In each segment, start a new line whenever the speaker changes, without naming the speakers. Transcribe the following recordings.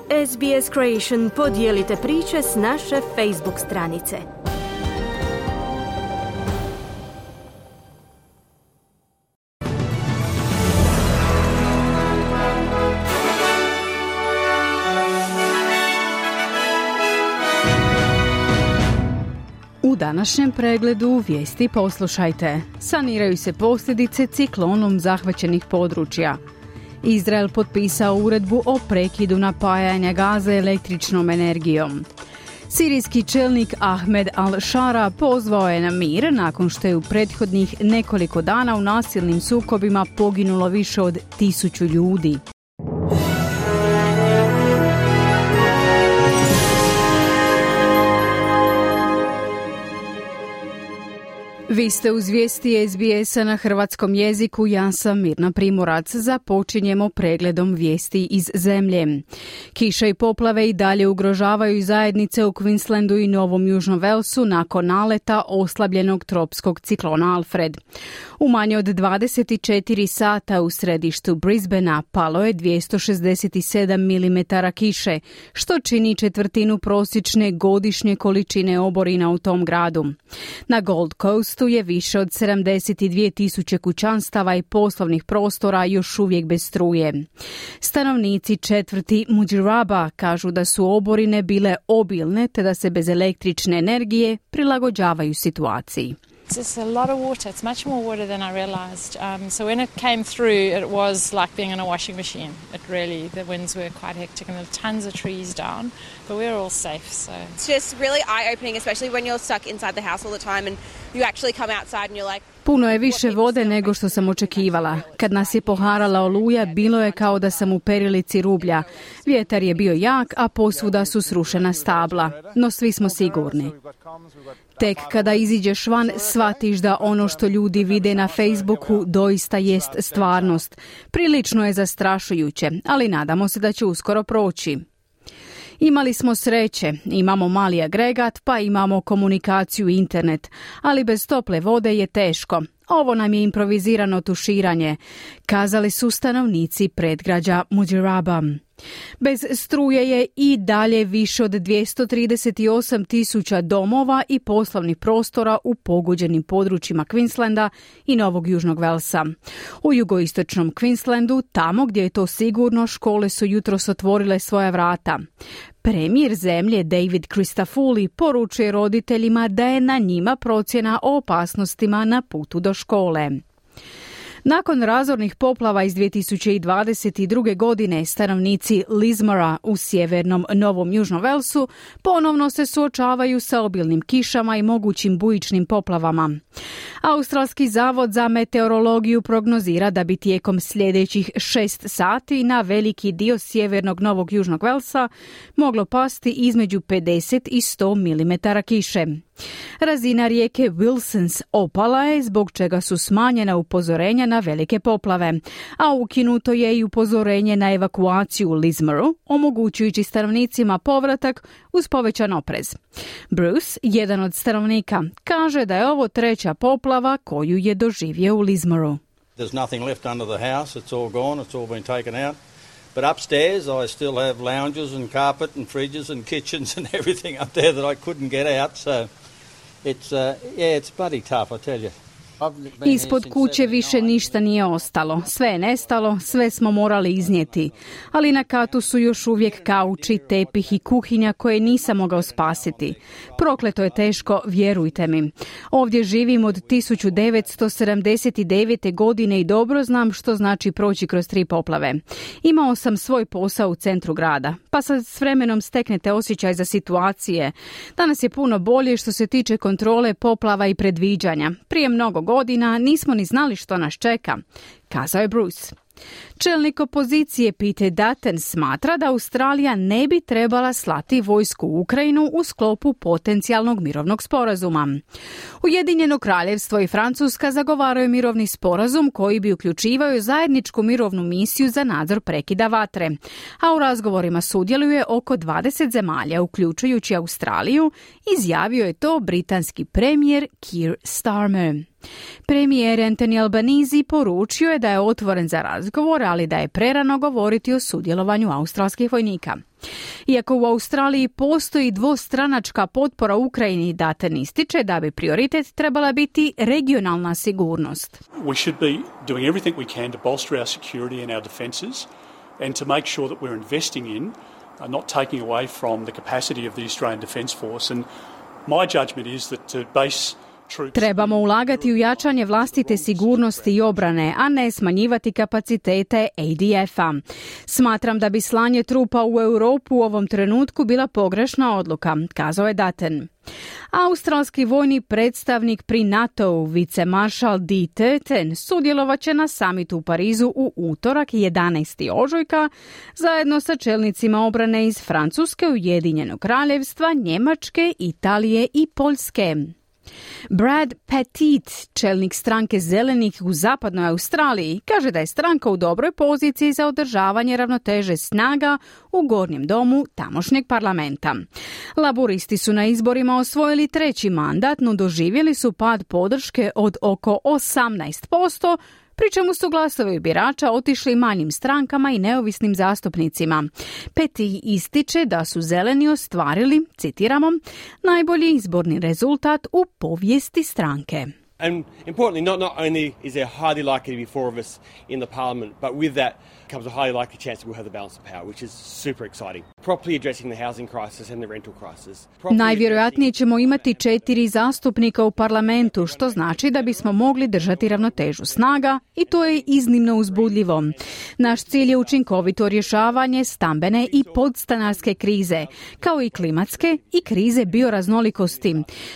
SBS Creation podijelite priče s naše Facebook stranice.
U današnjem pregledu vijesti poslušajte. Saniraju se posljedice ciklonom zahvaćenih područja. Izrael potpisao uredbu o prekidu napajanja Gaze električnom energijom. Sirijski čelnik Ahmed al-Shara pozvao je na mir nakon što je u prethodnih nekoliko dana u nasilnim sukobima poginulo više od 1000 ljudi. Vi ste uz vijesti SBS-a na hrvatskom jeziku, ja sam Mirna Primorac. Započinjemo pregledom vijesti iz zemlje. Kiša i poplave i dalje ugrožavaju zajednice u Queenslandu i Novom Južnom Velsu nakon naleta oslabljenog tropskog ciklona Alfred. U manje od 24 sata u središtu Brisbanea palo je 267 mm kiše, što čini četvrtinu prosječne godišnje količine oborina u tom gradu. Na Gold Coastu je više od 72.000 kućanstava i poslovnih prostora još uvijek bez struje. Stanovnici četvrti Mudjeraba kažu da su oborine bile obilne te da se bez električne energije prilagođavaju situaciji.
It's a lot of water. It's much more water than I realized. So when it came through, it was like being in a washing machine. It really, the winds were quite hectic and there were tons of trees down, but we're all safe. So
it's just really eye-opening, especially when you're stuck inside the house all the time and you actually come outside and you're like,
puno je više vode nego što sam očekivala. Kad nas je poharala oluja, bilo je kao da sam u perilici rublja. Vjetar je bio jak, a posvuda su srušena stabla. No svi smo sigurni. Tek kada iziđeš van, shvatiš da ono što ljudi vide na Facebooku doista jest stvarnost. Prilično je zastrašujuće, ali nadamo se da će uskoro proći. Imali smo sreće, imamo mali agregat, pa imamo komunikaciju i internet, ali bez tople vode je teško. Ovo nam je improvizirano tuširanje, kazali su stanovnici predgrađa Mudjeraba. Bez struje je i dalje više od 238.000 domova i poslovnih prostora u pogođenim područjima Queenslanda i Novog Južnog Velsa. U jugoistočnom Queenslandu, tamo gdje je to sigurno, škole su jutros otvorile svoja vrata. Premijer zemlje David Christodoulou poručuje roditeljima da je na njima procjena o opasnostima na putu do škole. Nakon razornih poplava iz 2022. godine, stanovnici Lismora u sjevernom Novom Južnom Velsu ponovno se suočavaju sa obilnim kišama i mogućim bujičnim poplavama. Australski zavod za meteorologiju prognozira da bi tijekom sljedećih 6 sati na veliki dio sjevernog Novog Južnog Velsa moglo pasti između 50 i 100 mm kiše. Razina rijeke Wilsons opala je, zbog čega su smanjena upozorenja na velike poplave, a ukinuto je i upozorenje na evakuaciju u Lismoru, omogućujući stanovnicima povratak uz povećan oprez. Bruce, jedan od stanovnika, kaže da je ovo treća poplava koju je doživio u Lismoru.
There's nothing left under the house, it's all gone, it's all been taken out. But upstairs I still have lounges and carpet and fridges and kitchens and everything up there that I couldn't get out, so it's bloody tough, I tell you.
Ispod kuće više ništa nije ostalo. Sve je nestalo, sve smo morali iznijeti. Ali na katu su još uvijek kauči, tepih i kuhinja koje nisam mogao spasiti. Prokleto je teško, vjerujte mi. Ovdje živim od 1979. godine i dobro znam što znači proći kroz 3 poplave. Imao sam svoj posao u centru grada, pa sad s vremenom steknete osjećaj za situacije. Danas je puno bolje što se tiče kontrole poplava i predviđanja. Prije mnogo godina nismo ni znali što nas čeka, kazao je Bruce. Čelnik opozicije Peter Dutton smatra da Australija ne bi trebala slati vojsku u Ukrajinu u sklopu potencijalnog mirovnog sporazuma. Ujedinjeno kraljevstvo i Francuska zagovaraju mirovni sporazum koji bi uključivao zajedničku mirovnu misiju za nadzor prekida vatre, a u razgovorima sudjeluje oko 20 zemalja, uključujući Australiju, izjavio je to britanski premijer Keir Starmer. Premijer Anthony Albanese poručio je da je otvoren za razgovor, ali da je prerano govoriti o sudjelovanju australskih vojnika. Iako u Australiji postoji dvostranačka potpora Ukrajini, Dutton ističe da bi prioritet trebala biti regionalna sigurnost.
We should be doing everything we can to bolster our security and our defences and to make sure that we're investing in, not taking away from the capacity of the Australian Defence Force. And my judgment is that to base
Trebamo ulagati u jačanje vlastite sigurnosti i obrane, a ne smanjivati kapacitete ADF-a. Smatram da bi slanje trupa u Europu u ovom trenutku bila pogrešna odluka, kazao je Dutton. Australski vojni predstavnik pri NATO-u, vicemaršal D. Turton, sudjelovat će na samitu u Parizu u utorak 11. ožujka zajedno sa čelnicima obrane iz Francuske, Ujedinjenog Kraljevstva, Njemačke, Italije i Poljske. Brad Petit, čelnik stranke Zelenih u zapadnoj Australiji, kaže da je stranka u dobroj poziciji za održavanje ravnoteže snaga u gornjem domu tamošnjeg parlamenta. Laburisti su na izborima osvojili treći mandat, no doživjeli su pad podrške od oko 18%, pri čemu su glasovi birača otišli manjim strankama i neovisnim zastupnicima. Peti ističe da su zeleni ostvarili, citiramo, najbolji izborni rezultat u povijesti stranke.
And importantly, not only is there highly likely to be four of us in the parliament, but with that comes a highly likely chance that we'll have the balance of power, which is super exciting. Properly addressing the housing crisis and the rental crisis.
Najvjerojatnije ćemo imati 4 zastupnika u parlamentu, što znači da bismo mogli držati ravnotežu snaga i to je iznimno uzbudljivo. Naš cilj je učinkovito rješavanje stambene i podstanarske krize, kao i klimatske i krize bioraznolikosti.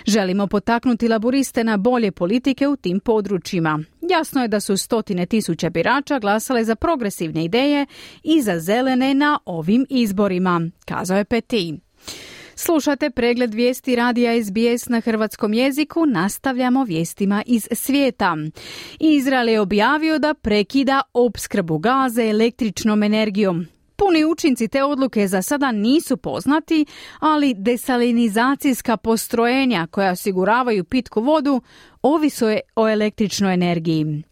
Želimo potaknuti laburiste na bolje politike u tim područjima. Jasno je da su 100,000 birača glasale za progresivne ideje i za zelene na ovim izborima, kazao je Petit. Slušate pregled vijesti radija SBS na hrvatskom jeziku, nastavljamo vijestima iz svijeta. Izrael je objavio da prekida opskrbu Gaze električnom energijom. Puni učinci te odluke za sada nisu poznati, ali desalinizacijska postrojenja koja osiguravaju pitku vodu ovise o električnoj energiji.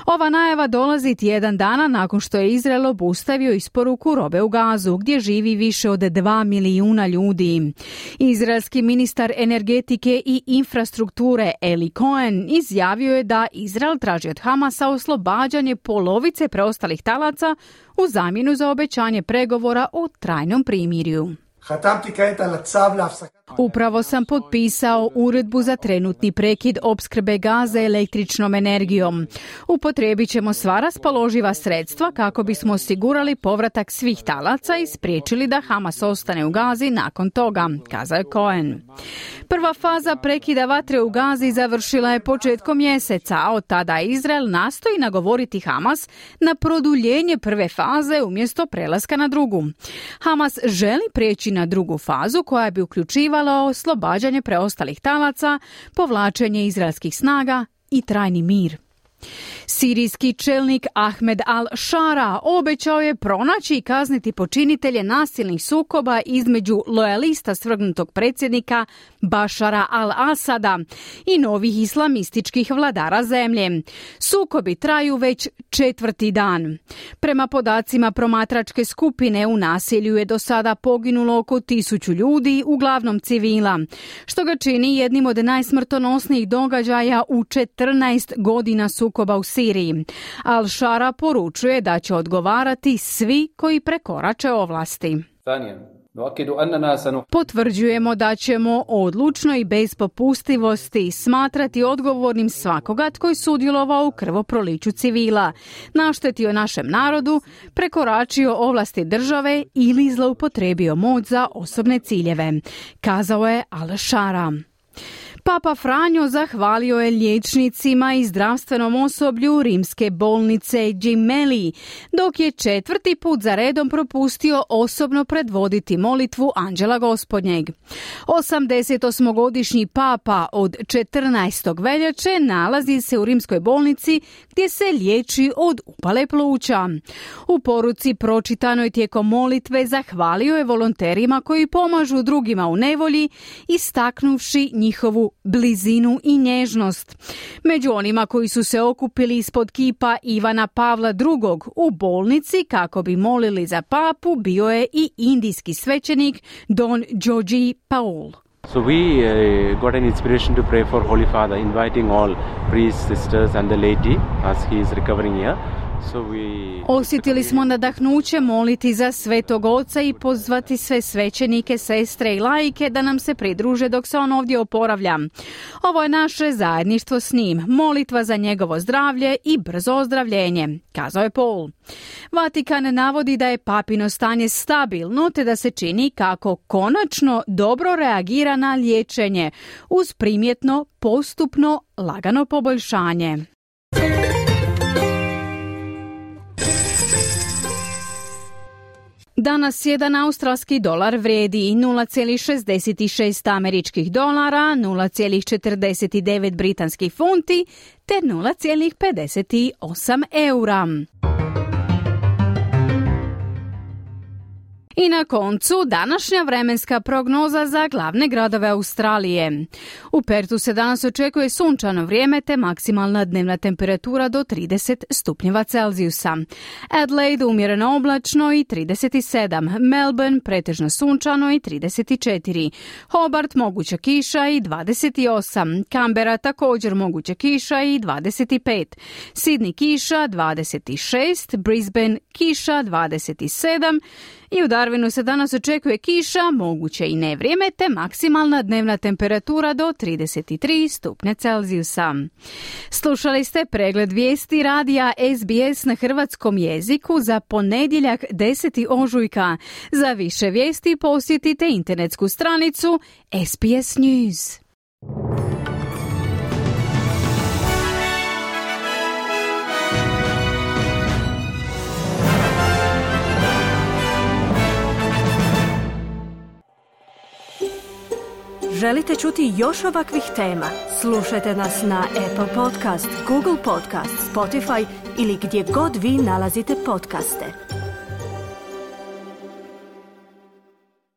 Ova najava dolazi tjedan dana nakon što je Izrael obustavio isporuku robe u Gazu, gdje živi više od 2 milijuna ljudi. Izraelski ministar energetike i infrastrukture Eli Cohen izjavio je da Izrael traži od Hamasa oslobađanje polovice preostalih talaca u zamjenu za obećanje pregovora o trajnom primirju. Upravo sam potpisao uredbu za trenutni prekid opskrbe Gaze električnom energijom. Upotrijebit ćemo sva raspoloživa sredstva kako bismo osigurali povratak svih talaca i spriječili da Hamas ostane u Gazi nakon toga, kazao je Cohen. Prva faza prekida vatre u Gazi završila je početkom mjeseca, a od tada Izrael nastoji nagovoriti Hamas na produljenje prve faze umjesto prelaska na drugu. Hamas želi prijeći na drugu fazu koja bi uključivala oslobađanje preostalih talaca, povlačenje izraelskih snaga i trajni mir. Sirijski čelnik Ahmed al-Shara obećao je pronaći i kazniti počinitelje nasilnih sukoba između lojalista svrgnutog predsjednika Bašara al-Asada i novih islamističkih vladara zemlje. Sukobi traju već 4. dan. Prema podacima promatračke skupine u nasilju je do sada poginulo oko 1000 ljudi, uglavnom civila, što ga čini jednim od najsmrtonosnijih događaja u 14 godina sukoba u Siriji. Al-Shara poručuje da će odgovarati svi koji prekorače ovlasti. Potvrđujemo da ćemo odlučno i bez popustivosti smatrati odgovornim svakoga tko je sudjelovao u krvoproliću civila, naštetio našem narodu, prekoračio ovlasti države ili zloupotrijebio moć za osobne ciljeve, kazao je Al-Shara. Papa Franjo zahvalio je liječnicima i zdravstvenom osoblju rimske bolnice Gemelli, dok je 4. put za redom propustio osobno predvoditi molitvu Anđela Gospodnjeg. 88-godišnji papa od 14. veljače nalazi se u rimskoj bolnici gdje se liječi od upale pluća. U poruci pročitanoj tijekom molitve zahvalio je volonterima koji pomažu drugima u nevolji, istaknuvši njihovu blizinu i nježnost. Među onima koji su se okupili ispod kipa Ivana Pavla II. U bolnici kako bi molili za papu bio je i indijski svećenik Don Georgi Paul.
So we got an inspiration to pray for Holy Father, inviting all priests, sisters and the laity as he is recovering here.
Osjetili smo nadahnuće moliti za Svetog Oca i pozvati sve svećenike, sestre i laike da nam se pridruže dok se on ovdje oporavlja. Ovo je naše zajedništvo s njim, molitva za njegovo zdravlje i brzo ozdravljenje, kazao je Paul. Vatikan navodi da je papino stanje stabilno te da se čini kako konačno dobro reagira na liječenje uz primjetno, postupno, lagano poboljšanje. Danas jedan australski dolar vrijedi 0,66 američkih dolara, 0,49 britanskih funti te 0,58 eura. I na koncu današnja vremenska prognoza za glavne gradove Australije. U Pertu se danas očekuje sunčano vrijeme te maksimalna dnevna temperatura do 30 stupnjeva Celzijusa. Adelaide umjereno oblačno i 37, Melbourne pretežno sunčano i 34, Hobart moguća kiša i 28, Canberra također moguća kiša i 25, Sydney kiša 26, Brisbane kiša 27, i u Darwinu se danas očekuje kiša, moguće i nevrijeme, te maksimalna dnevna temperatura do 33 stupnja Celzijusa. Slušali ste pregled vijesti radija SBS na hrvatskom jeziku za ponedjeljak 10. ožujka. Za više vijesti posjetite internetsku stranicu SBS News.
Želite čuti još ovakvih tema? Slušajte nas na Apple Podcast, Google Podcast, Spotify ili gdje god vi nalazite podcaste.